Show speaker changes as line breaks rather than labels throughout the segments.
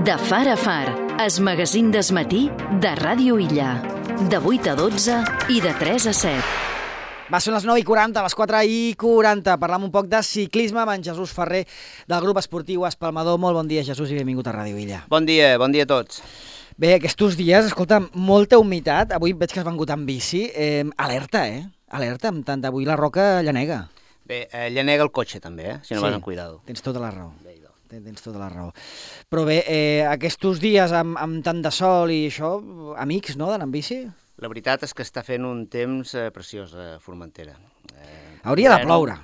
De far a far, es magazín d'esmatí de Ràdio Illa. De 8 a 12 i de 3 a 7.
Va, són les 9:40, les 4:40. Parlam un poc de ciclisme amb en Jesús Ferrer, del grup esportiu Espalmador. Molt bon dia, Jesús, i benvingut a Ràdio Illa.
Bon dia a tots.
Bé, aquests dies, escolta, molta humitat. Avui veig que has vengut amb bici. Alerta, Alerta, amb tant avui la roca llanega.
Bé, llanega el cotxe també, si no vas amb cuidado.
Tens tota la raó. Tens tota la raó. Però bé, aquests dies amb tant de sol i això, amics, no, d'anar amb bici?
La veritat és que està fent un temps preciós a Formentera.
Hauria de ploure.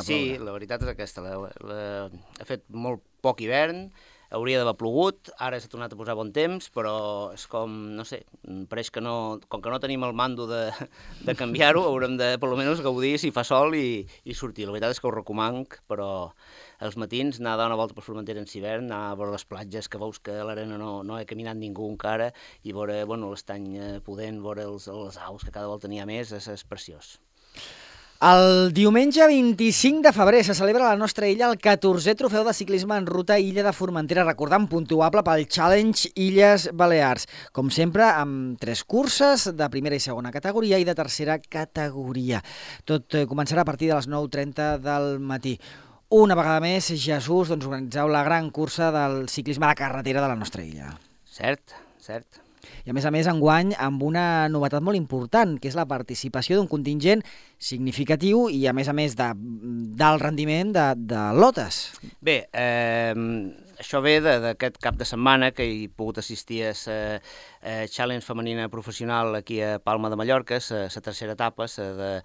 Sí, la veritat és aquesta. Ha fet molt poc hivern, hauria d'haver plogut, ara s'ha tornat a posar bon temps, però és com, no sé, pareix que no, com que no tenim el mando de canviar-ho, haurem de, per almenys, gaudir si fa sol i sortir. La veritat és que ho recomanc, però als matins anar a dar una volta per Formentera en hivern, anar a veure les platges, que veus que a l'arena no ha caminat ningú encara, i veure l'estany pudent, veure les aus, que cada volta n'hi ha més, és preciós.
El diumenge 25 de febrer se celebra a la nostra illa el 14è trofeu de ciclisme en ruta Illa de Formentera, recordant puntuable pel Challenge Illes Balears. Com sempre, amb 3 curses de primera i segona categoria i de tercera categoria. Tot començarà a partir de les 9:30 del matí. Una vegada més, Jesús, organitzeu la gran cursa del ciclisme a la carretera de la nostra illa. Cert. I a més, enguany, amb una novetat molt important, que és la participació d'un contingent significatiu i, a més, d'alt rendiment de lotes.
Bé, això ve d'aquest cap de setmana que he pogut assistir a la Challenge femenina professional aquí a Palma de Mallorca, la tercera etapa, de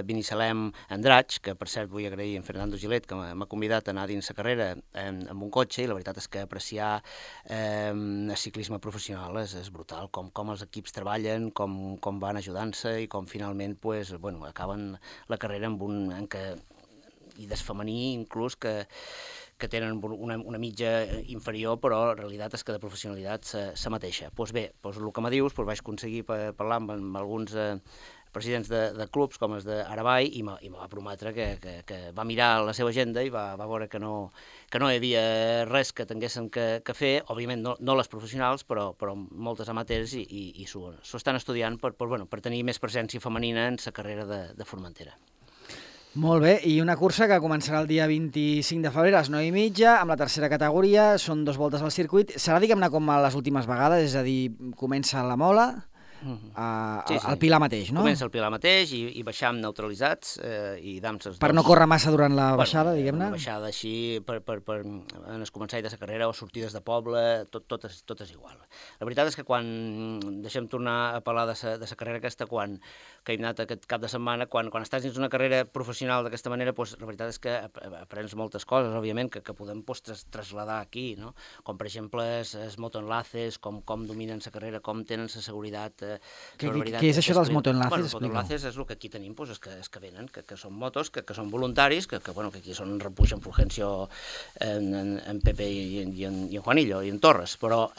Binissalem Andratx, que per cert vull agrair a en Fernando Gilet, que m'ha convidat a anar dins la carrera amb un cotxe, i la veritat és que apreciar el ciclisme professional és brutal, com els equips treballen, com van ajudant-se i com finalment acaben la carrera i del femení inclús que tenen una mitja inferior, però la realitat és que de professionalitat la mateixa. Doncs bé, el que me dius, vaig aconseguir parlar amb alguns presidents de clubs com els d'Aravall i me va prometre que va mirar la seva agenda i va veure que no hi havia res que tinguessin que fer, òbviament no les professionals, però moltes amateurs i s'ho estan estudiant per tenir més presència femenina en la carrera de Formentera.
Molt bé, i una cursa que començarà el dia 25 de febrer a les 9:30, amb la tercera categoria, són 2 voltes al circuit. Serà, diguem-ne, com a les últimes vegades, és a dir, comença a la Mola, al Pilar mateix, no?
Comença al Pilar mateix i baixam neutralitzats i damses...
Per no córrer massa durant la baixada, diguem-ne?
Una baixada així, en el començar de la carrera o sortides de poble, tot és igual. La veritat és que quan deixem tornar a parlar de la carrera aquesta, que hem anat aquest cap de setmana, quan estàs dins una carrera professional d'aquesta manera, la veritat és que aprens moltes coses, òbviament, que podem trasladar aquí, no? Com, per exemple, els motoenlaces, com dominen la carrera, com tenen la seguretat.
Què és això dels motoenlaces?
Els motoenlaces és el que aquí tenim, és que venen, que són motos, que són voluntaris, que aquí són Repuig, en Fulgencio, en Pepe i en Juanillo, i en Torres, però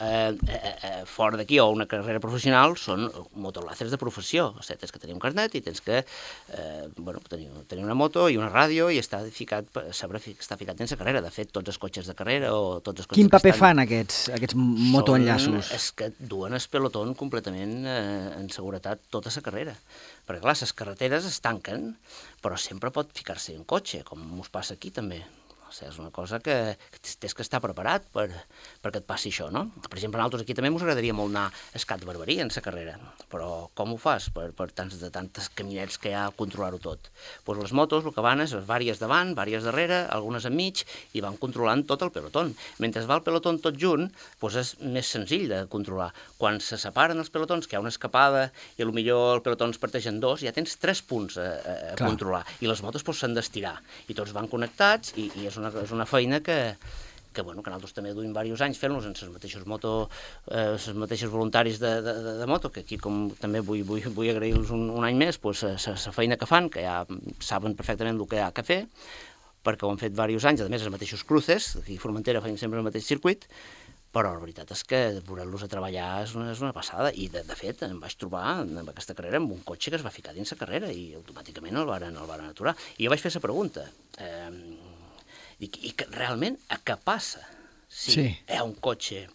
fora d'aquí, o una carrera professional, són motoenlaces de professió. O sigui, tens que tenir un carnet i tens que tenir una moto i una ràdio i està ficat dins la carrera. De fet, tots els cotxes de carrera o tots els cotxes...
Quin paper fan aquests motoenllaços?
És que duen el pelotón completament en seguretat tota la carrera. Perquè, clar, les carreteres es tanquen, però sempre pot ficar-se un cotxe, com us passa aquí també. O sigui, és una cosa que tens que estar preparat perquè et passi això, no? Per exemple, a nosaltres aquí també ens agradaria molt anar a Escat de Barberia en la carrera, però com ho fas per tantes caminets que hi ha a controlar-ho tot? Doncs les motos el que van és vàries davant, vàries darrere, algunes enmig, i van controlant tot el pelotón. Mentre va el pelotón tot junt, doncs és més senzill de controlar. Quan se separen els pelotons, que hi ha una escapada i potser el pelotó es parteix en 2, ja tens 3 punts a controlar, i les motos s'han d'estirar, i tots van connectats, i és una feina que nosaltres també duim diversos anys fent-los en els mateixos voluntaris de moto, que aquí com també vull agrair-los un any més la feina que fan, que ja saben perfectament el que hi ha que fer, perquè ho han fet diversos anys, a més els mateixos cruces, aquí a Formentera feim sempre el mateix circuit, però la veritat és que veure-los a treballar és una passada, i de fet em vaig trobar en aquesta carrera amb un cotxe que es va ficar dins la carrera i automàticament el varen aturar. I jo vaig fer la pregunta, i realment, què passa si hi ha un cotxe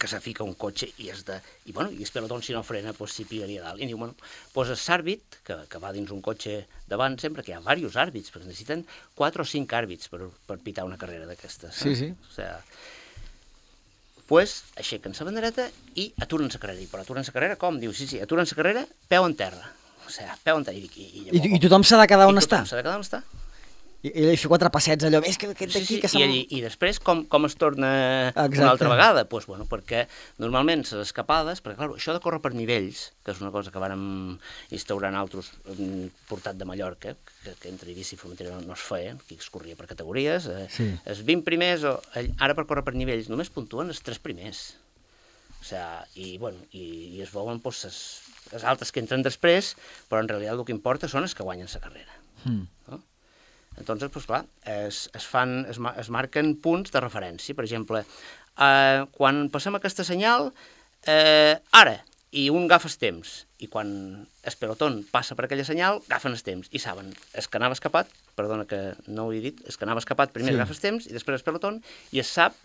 que se fica un cotxe i és pelotón, si no frena, s'hi pillaria dalt. I diu, és àrbit, que va dins un cotxe davant sempre, que hi ha diversos àrbits, perquè necessiten 4 o 5 àrbits per pitar una carrera d'aquestes.
Sí.
O sigui, aixequen la bandereta i aturen la carrera. Però aturen la carrera com? Diu, sí, aturen la carrera, peu en terra. O sigui, peu en terra.
I tothom s'ha de quedar on està?
I tothom s'ha de quedar on està.
I fer 4 passets allò, és que aquest d'aquí...
I després com es torna una altra vegada? Doncs perquè normalment les escapades, perquè clar, això de córrer per nivells, que és una cosa que vàrem instaurar nosaltres portat de Mallorca, que entre Eivissa i Formentera no es feia, aquí es corria per categories, els 20 primers, ara per córrer per nivells, només puntuen els 3 primers. O sigui, i es veuen les altres que entren després, però en realitat el que importa són els que guanyen la carrera. No? Entonces, clar, es marquen punts de referència. Per exemple, quan passem aquesta senyal, ara, i un agafa el temps, i quan el pelotón passa per aquella senyal, agafen el temps, i saben, el que anava escapat, perdona que no ho he dit, el que anava escapat primer agafa el temps, i després el pelotón, i es sap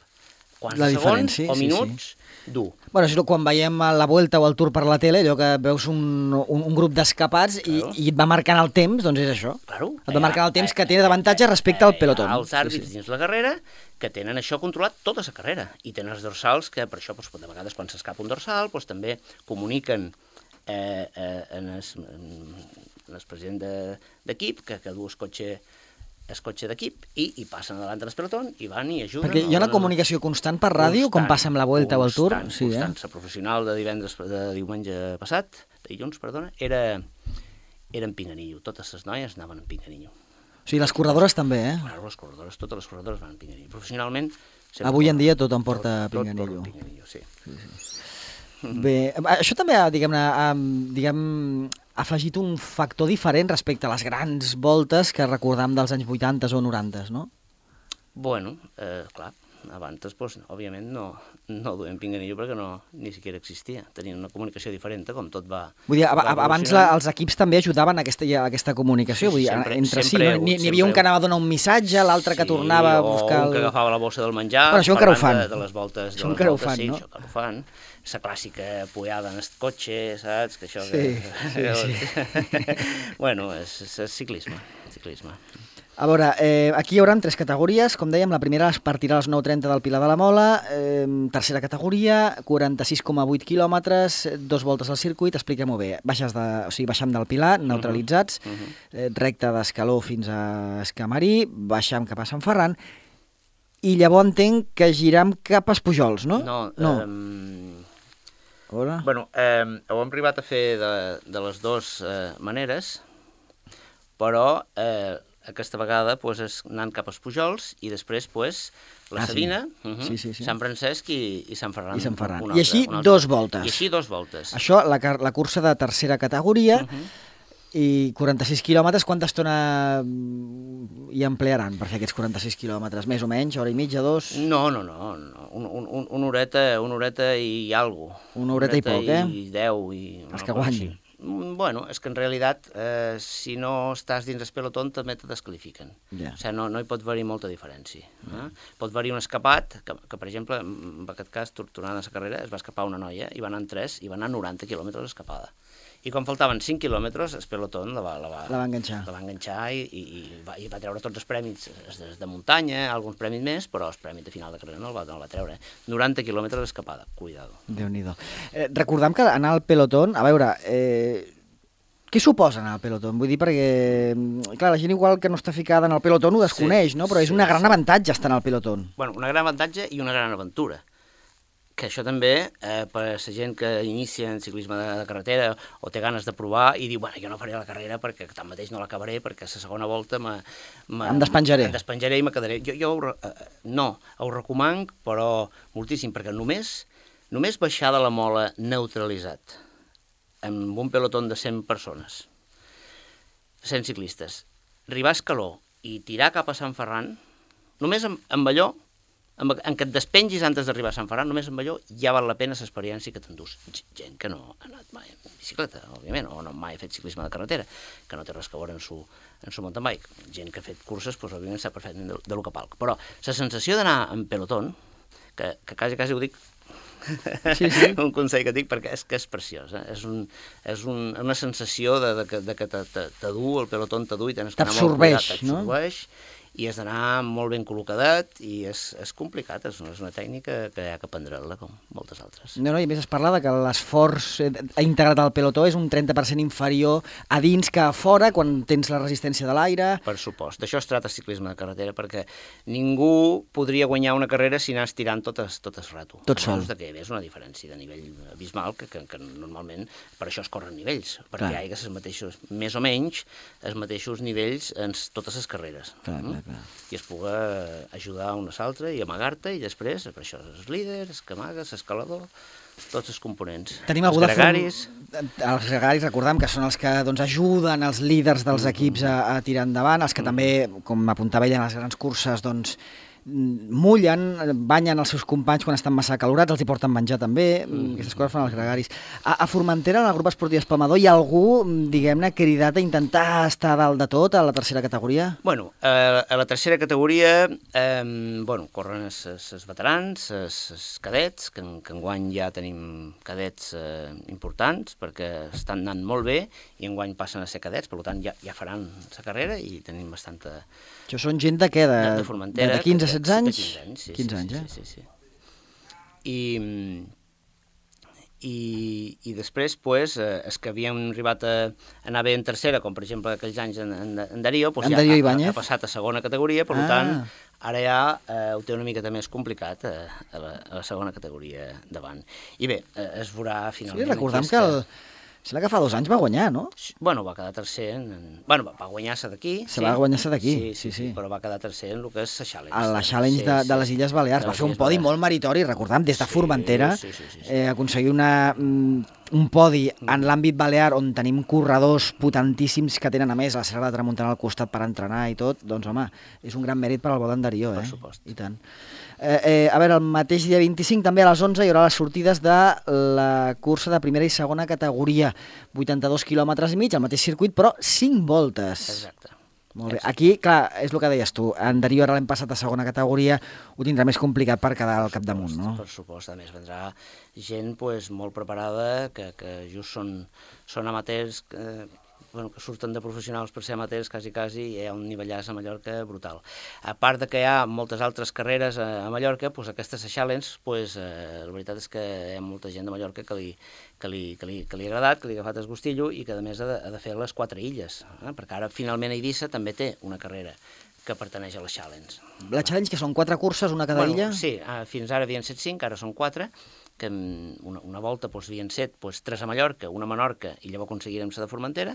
quants segons o minuts dur.
Bueno, és quan veiem la Vuelta o el Tour per la tele, allò que veus un grup d'escapats i et va marcant el temps, doncs és això.
Claro.
Et va marcant el temps que té d'avantatge respecte al pelotón.
Els àrbits dins la carrera que tenen això controlat tota la carrera i tenen els dorsals que per això de vegades quan s'escapa un dorsal també comuniquen en el president d'equip que du el cotxe d'equip i passen davant de l'espelotón i van i ajuden.
Perquè hi ha una comunicació constant per ràdio, com passa amb la Vuelta o el Tour?
Constant. La professional de diumenge passat, de dilluns, perdona, era en Pinganillo. Totes les noies anaven en Pinganillo.
O sigui, les corredores també,
totes les corredores van en Pinganillo. Professionalment...
Avui en dia tot em porta a Pinganillo.
Tot Pinganillo, sí.
Bé, això també, ha afegit un factor diferent respecte a les grans voltes que recordam dels anys 80 o 90, no?
Bueno, clar, abans, òbviament, no duem Pinganillo perquè ni siquiera existia. Tenien una comunicació diferent, com tot va...
Vull dir, abans els equips també ajudaven a aquesta comunicació, vull dir, entre si. N'hi havia un que anava a donar un missatge, l'altre que tornava a buscar...
O un que agafava la bossa del menjar...
Però això encara ho fan.
De les voltes,
això encara ho fan, no?
Això encara ho fan. La clàssica pujada en el cotxe, saps? Que això...
Sí.
Bueno, és ciclisme.
A veure, aquí hi haurà 3 categories. Com dèiem, la primera es partirà a les 9:30 del Pilar de la Mola, tercera categoria, 46,8 quilòmetres, 2 voltes al circuit, expliquem-ho bé. Baixem del Pilar, neutralitzats, recte d'Escaló fins a Escamarí, baixem cap a Sant Ferran, i llavors entenc que giram cap als Pujols, no?
No. Bueno, ho hem arribat a fer de les dues maneres, però aquesta vegada és anant cap als Pujols i després la Sabina, Sant Francesc i Sant Ferran.
I així 2 voltes.
I així 2 voltes.
Això, la cursa de tercera categoria, i 46 quilòmetres, quanta estona hi emplearan per fer aquests 46 quilòmetres? Més o menys? Hora i mitja, 2?
No. Una horeta i algo.
Una horeta i poc,
I 10.
Els que guanyin.
Bueno, és que en realitat, si no estàs dins el pelotón, també te descalifiquen. O sigui, no hi pot haver-hi molta diferència. Pot haver-hi un escapat, que per exemple, en aquest cas, tornant a la carrera, es va escapar una noia, i va anar en 3, i va anar 90 quilòmetres escapada. I quan faltaven 5 quilòmetres, el pelotón la va enganxar i va treure tots els prèmits de muntanya, alguns prèmits més, però el prèmit de final de carrera no el va treure. 90 quilòmetres escapada, cuidado.
Déu-n'hi-do. Recordam que anar al pelotón, a veure, què suposa anar al pelotón? Vull dir, perquè, clar, la gent igual que no està ficada en el pelotón ho desconeix, no? Però és un gran avantatge estar en el pelotón.
Bueno, un gran avantatge i una gran aventura. Que això també, per a la gent que inicia en ciclisme de carretera o té ganes de provar i diu, bueno, jo no faré la carrera perquè tanmateix no l'acabaré perquè a la segona volta
em despenjaré
i me quedaré. Jo ho recomano, però moltíssim, perquè només baixar de la Mola neutralitzat amb un pelotón de 100 persones, 100 ciclistes, arribar a Escaló i tirar cap a Sant Ferran, només amb allò, en què et despengis antes d'arribar a Sant Ferran, només amb allò ja val la pena l'experiència que t'endús. Gent que no ha anat mai en bicicleta, òbviament, o no mai ha fet ciclisme de carretera, que no té res a veure en su mountain bike. Gent que ha fet curses, òbviament sap perfectament de lo que palc. Però la sensació d'anar en pelotón, que quasi ho dic
Sí, sí.
Un consell que dic, perquè és que és preciós. És una sensació de que t'adu, el pelotó t'adu i tens que anar molt cuidat. T'absorbeix, i has d'anar molt ben col·locadet i és complicat, és una tècnica que hi ha que aprendre-la, com moltes altres.
No, i a més es parla de que l'esforç integrat al pelotó és un 30% inferior a dins que a fora, quan tens la resistència de l'aire.
Per supost. D'això es tracta ciclisme de carretera, perquè ningú podria guanyar una carrera si anàs tirant totes rato.
Tot sol.
Que és una diferència de nivell abismal, que normalment per això es corren nivells, perquè hi ha els mateixos, més o menys, els mateixos nivells en totes les carreres.
Clar.
I es pugui ajudar un a l'altre i amagar-te, i després, per això, els líders, que amagues, l'escalador, tots els components.
Tenim els gregaris. Els gregaris, recordem que són els que ajuden els líders dels equips a tirar endavant, els que també, com apuntava ella en les grans curses, mullen, banyen els seus companys quan estan massa acalorats, els hi porten menjar també, aquestes coses fan els gregaris. A Formentera, en el grup esportiu Espalmador, hi ha algú, diguem-ne, cridat a intentar estar dalt de tot a la tercera categoria?
Bueno, a la tercera categoria corren els veterans, els cadets, que enguany ja tenim cadets importants, perquè estan anant molt bé, i enguany passen a ser cadets, per tant ja faran la carrera i tenim bastanta...
Això són gent de què?
De Formentera.
De 15 a 16 anys?
De 15 anys, sí.
15 anys,
sí. I després, els que havien arribat a anar bé en tercera, com per exemple aquells anys en Darío, ha passat a segona categoria, per tant, ara ja ho té una mica més complicat a la segona categoria davant. I bé, es veurà finalment...
Sí, recordem que sembla que fa 2 anys va guanyar, no?
Bueno, va quedar tercer va guanyar-se d'aquí.
Va guanyar-se d'aquí, sí.
Però va quedar tercer en el que és la Challenge.
A la Challenge de les Illes Balears. Va fer un podi molt meritori, recordem, des de Formentera, aconseguir un podi en l'àmbit balear on tenim corredors potentíssims que tenen, a més, la Serra de Tramuntana al costat per entrenar i tot, doncs, home, és un gran mèrit per al bo d'en Darío,
Per supost.
I tant. A veure, el mateix dia 25, també a les 11, hi haurà les sortides de la cursa de primera i segona categoria. 82 quilòmetres i mig, el mateix circuit, però 5 voltes.
Exacte.
Molt bé. Aquí, clar, és el que deies tu, en Darío ara l'hem passat a segona categoria, ho tindrà més complicat per quedar al capdamunt, no?
Per supost, a més, vendrà gent molt preparada, que just són amateurs, que surten de professionals per ser amateurs, quasi, hi ha un nivellàs a Mallorca brutal. A part de que hi ha moltes altres carreres a Mallorca, aquestes Challenge, la veritat és que hi ha molta gent de Mallorca que li ha agradat, que li ha agafat el gustillo i que a més ha de fer les 4 illes, perquè ara finalment Eivissa també té una carrera que pertaneix a la Challenge.
La Challenge, que són 4 curses, una cada illa?
Sí, fins ara havien set 5, ara són 4, que una volta havien set 3 a Mallorca, una a Menorca, i llavors aconseguirem la de Formentera,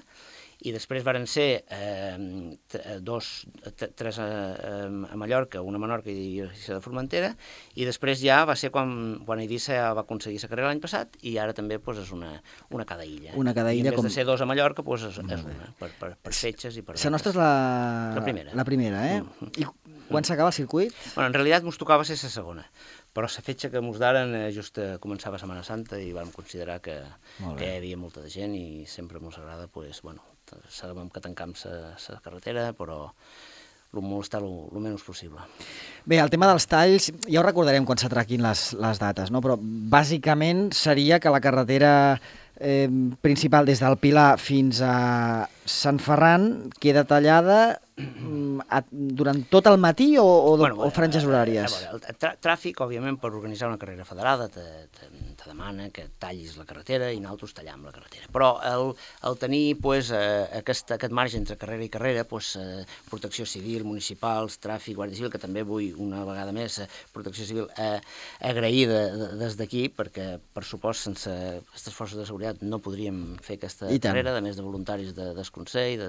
i després varen ser 3 a Mallorca, una a Menorca i la de Formentera, i després ja va ser quan Eivissa ja va aconseguir la carrera l'any passat, i ara també és una cada illa.
Una cada illa.
I en vez de ser 2 a Mallorca, és una, per fetges i per...
La nostra és la primera. La primera, I quan s'acaba el circuit?
En realitat mos tocava ser la segona, però la fetge que mos daren just començava Setmana Santa i vam considerar que hi havia molta de gent i sempre mos agrada, sabem que tancam la carretera, però molestar el menys possible.
Bé, el tema dels talls, ja ho recordarem quan s'atraquin les dates, no? Però bàsicament seria que la carretera principal des del Pilar fins a Sant Ferran queda tallada durant tot el matí o franges horàries?
El tràfic, òbviament, per organitzar una carrera federada te demana que tallis la carretera i nosaltres tallam la carretera. Però el tenir aquest marge entre carrera i carrera, protecció civil, municipals, tràfic, guàrdia civil, que també vull una vegada més protecció civil agraïda des d'aquí, perquè per supost sense aquestes forces de seguretat no podríem fer aquesta carrera, a més de voluntaris del Consell,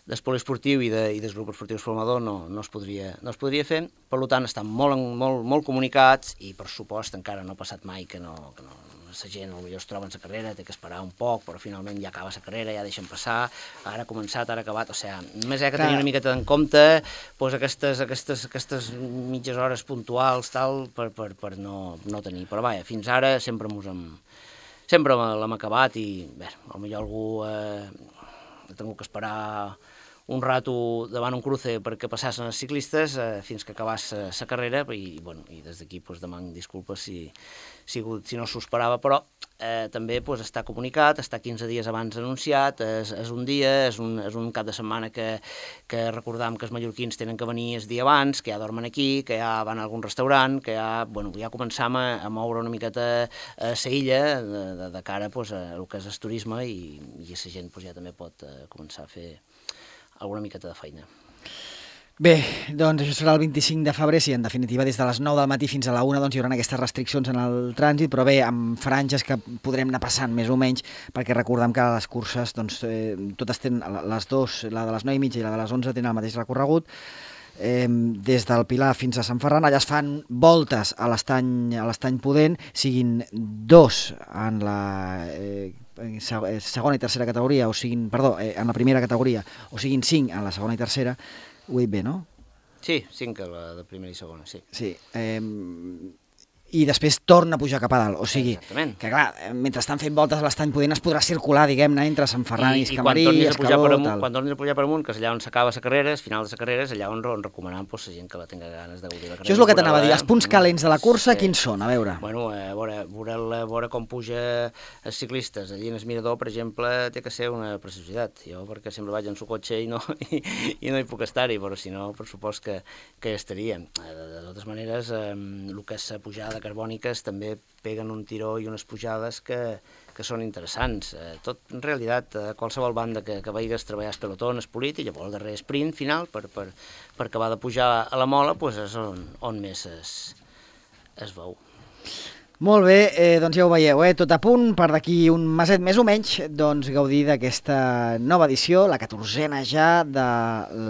del poliesportiu i del grup esportiu Espalmador no es podria fer. Per tant, estan molt comunicats i, per supost, encara no ha passat mai que la gent potser es troba en la carrera, té que esperar un poc, però finalment ja acaba la carrera, ja deixen passar, ara ha començat, ara ha acabat, només hi ha que tenir una miqueta en compte aquestes mitges hores puntuals per no tenir. Però vaja, fins ara sempre l'hem acabat i, bé, potser algú ha tingut que esperar un rato davant un cruce perquè passassen els ciclistes fins que acabés la carrera i des d'aquí deman disculpes si no s'ho esperava, però també està comunicat, està 15 dies abans anunciat, és un dia, és un cap de setmana que recordam que els mallorquins tenen que venir el dia abans, que ja dormen aquí, que ja van a algun restaurant, que ja començam a moure una miqueta a la illa de cara a el que és el turisme i la gent ja també pot començar a fer alguna miqueta de feina.
Bé, doncs això serà el 25 de febrer, sí, en definitiva des de les 9 del matí fins a la 1 hi haurà aquestes restriccions en el trànsit, però bé, amb franges que podrem anar passant més o menys, perquè recordem que les curses, totes tenen, les dues, la de les 9:30 i la de les 11 tenen el mateix recorregut, des del Pilar fins a Sant Ferran. Allà es fan voltes a l'Estany Pudent, siguin 2 en la segona i tercera categoria, en la primera categoria, o siguin 5 en la segona i tercera. Ho he dit bé, no?
Sí, 5 a la de primera i segona, sí.
Sí, i després torna a pujar cap a dalt, o sigui,
exactament.
Que clar, mentre estan fent voltes a l'Estany Pudent es podrà circular, diguem-ne, entre Sant Ferran i Escamarí,
Escaló, tal. Quan tornis a pujar per amunt, que és allà on s'acaba la carrera, al final de la carrera és allà on recomanem la gent que la tenga ganes de gaudir la carrera.
Això és el que t'anava a dir, els punts calents de la cursa, quins són? A veure.
Bueno, veure com puja els ciclistes. Allí en el mirador, per exemple, té que ser una preciositat. Jo, perquè sempre vaig en su cotxe i no hi puc estar-hi, però si no, per supost que estaria. De totes maneres, el que és la pujada carbòniques també peguen un tiró i unes pujades que són interessants. Tot, en realitat, qualsevol banda que veigues treballar el pelotó és polit i llavors el darrer sprint final per acabar de pujar a la mola és on més es veu.
Molt bé, doncs ja ho veieu, tot a punt per d'aquí un meset més o menys, doncs gaudir d'aquesta nova edició, la 14a ja de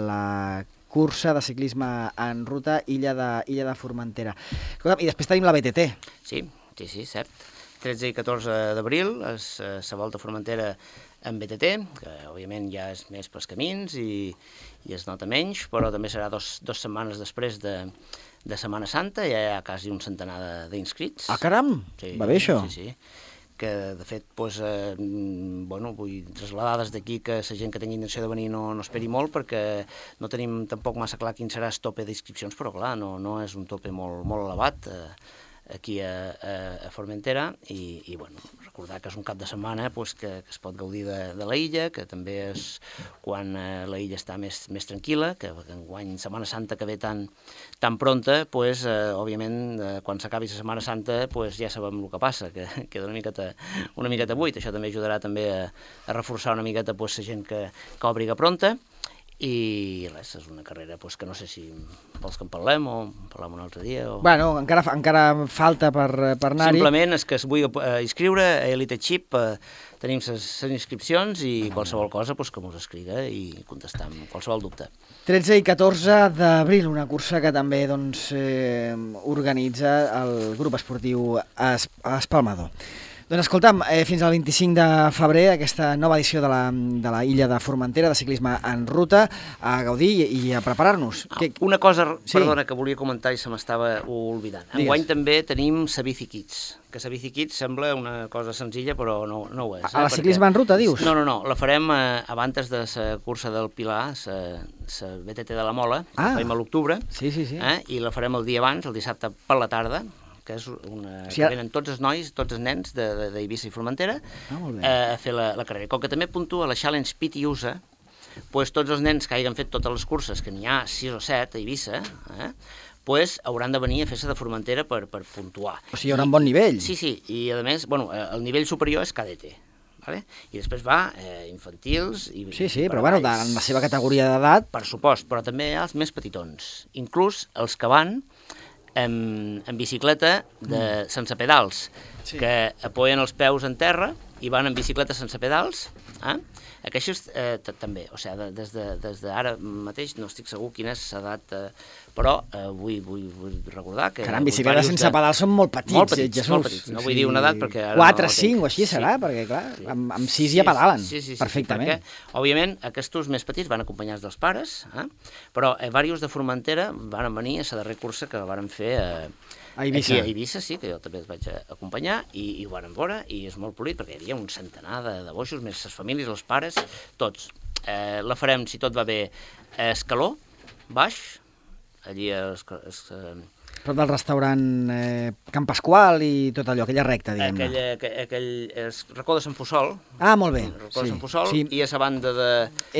la cursa de ciclisme en ruta Illa de Formentera. I després tenim la BTT.
Sí, cert. 13 i 14 d'abril és la Volta a Formentera en BTT, que òbviament ja és més pels camins i es nota menys, però també serà dos setmanes després de Setmana Santa, ja hi ha quasi un centenar d'inscrits.
Ah, caram! Sí, va bé això?
Sí. Que de fet, vull traslladar des d'aquí que la gent que tingui intenció de venir no esperi molt, perquè no tenim tampoc massa clar quin serà el tope d'inscripcions, però clar, no és un tope molt elevat aquí a Formentera i recordar que és un cap de setmana que es pot gaudir de la illa, que també és quan la illa està més tranquil·la, que enguany Setmana Santa que ve tan pronta, òbviament quan s'acabi la Setmana Santa ja sabem el que passa, que queda una miqueta buit. Això també ajudarà també a reforçar una miqueta la gent que obriga pronta. I res, és una carrera que no sé si vols que en parlem o en parlem un altre dia.
Bueno, encara falta per anar-hi.
Simplement és que es vull inscriure a Elite Chip, tenim les inscripcions i qualsevol cosa que mos escriga i contestam qualsevol dubte.
13 i 14 d'abril, una cursa que també organitza el grup esportiu Espalmador. Doncs escolta'm, fins al 25 de febrer, aquesta nova edició de la Illa de Formentera, de ciclisme en ruta, a gaudir i a preparar-nos.
Una cosa, perdona, que volia comentar i se m'estava oblidant. Enguany també tenim la Bici Kids, que la Bici Kids sembla una cosa senzilla, però no ho és.
A la ciclisme en ruta, dius?
No, la farem abans de la cursa del Pilar, la BTT de la Mola, que la farem a l'octubre, i la farem el dia abans, el dissabte per la tarda, que és que venen tots els nois, tots els nens d'Eivissa i Formentera a fer la carrera. Com que també puntua la Challenge Pit i USA, tots els nens que hagin fet totes les curses, que n'hi ha 6 o 7 a Eivissa, hauran de venir a fer-se de Formentera per puntuar.
O sigui, hi haurà un bon nivell.
Sí, i a més, el nivell superior és cadet. I després va infantils i...
Sí, però en la seva categoria d'edat...
Per supost, però també els més petitons. Inclús els que van en bicicleta sense pedals, que apoyen els peus en terra i van en bicicleta sense pedals. Aquests també, o sigui, des d'ara mateix no estic segur quina és l'edat, però vull recordar que...
Caram, bicicletes sense pedals són molt petits,
molt petits. No vull dir una edat perquè...
4, 5 o així serà, perquè clar, amb 6 ja pedalen perfectament.
Perquè, òbviament, aquests més petits van acompanyats dels pares, però diversos de Formentera van venir a la darrera cursa que van fer
a Eivissa.
Aquí a Eivissa, sí, que jo també els vaig acompanyar, i ho van veure, i és molt polit, perquè hi havia un centenar de boixos, més les famílies, els pares, tots. La farem, si tot va bé, a Escaló, baix, allí
Prop del restaurant Can Pasqual i tot allò, aquella recta, diguem-ne.
aquell racó de Sant Puçol.
Ah, molt bé.
Racó de Sant Puçol, i a la banda de...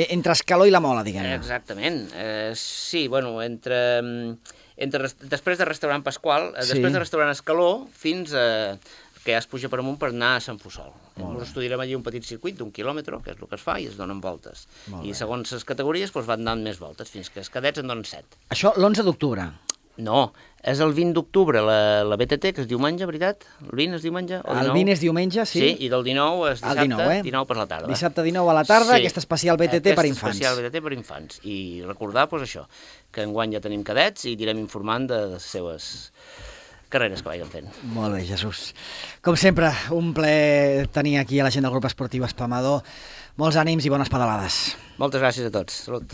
Entre Escaló i la Mola, diguem-ne.
Exactament. Sí, bueno, després de restaurant Pasqual, després de restaurant Escaló, fins que ja es puja per amunt per anar a Sant Puçol. Ens estudiarem allí un petit circuit d'1 quilòmetre, que és el que es fa, i es donen voltes. I segons les categories van donant més voltes, fins que els cadets en donen 7.
Això l'11 d'octubre.
No, és el 20 d'octubre, la BTT, que és diumenge, veritat? El 20 és diumenge?
El 20 és diumenge, sí.
Sí, i del 19 és dissabte, 19 per la tarda.
Dissabte 19 a la tarda, aquesta especial BTT per infants.
Aquesta especial BTT per infants. I recordar, doncs això, que enguany ja tenim cadets i anirem informant de les seves carreres que vagin fent.
Molt bé, Jesús. Com sempre, un plaer tenir aquí a la gent del grup esportiu Espamador. Molts ànims i bones pedalades.
Moltes gràcies a tots. Salut.